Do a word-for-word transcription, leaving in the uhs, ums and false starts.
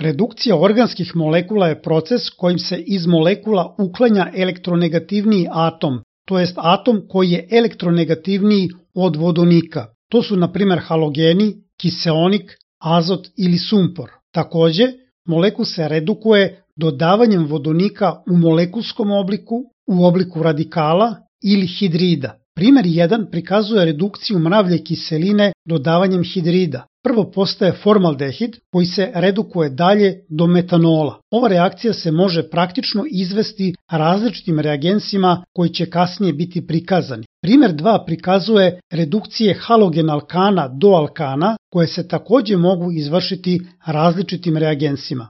Redukcija organskih molekula je proces kojim se iz molekula uklanja elektronegativniji atom, to jest atom koji je elektronegativniji od vodonika. To su na primjer halogeni, kiseonik, azot ili sumpor. Takođe, molekul se redukuje dodavanjem vodonika u molekulskom obliku, u obliku radikala ili hidrida. Primer jedan prikazuje redukciju mravlje kiseline dodavanjem hidrida. Prvo postaje formaldehid koji se redukuje dalje do metanola. Ova reakcija se može praktično izvesti različitim reagensima koji će kasnije biti prikazani. Primer dva prikazuje redukcije halogen alkana do alkana koje se takođe mogu izvršiti različitim reagensima.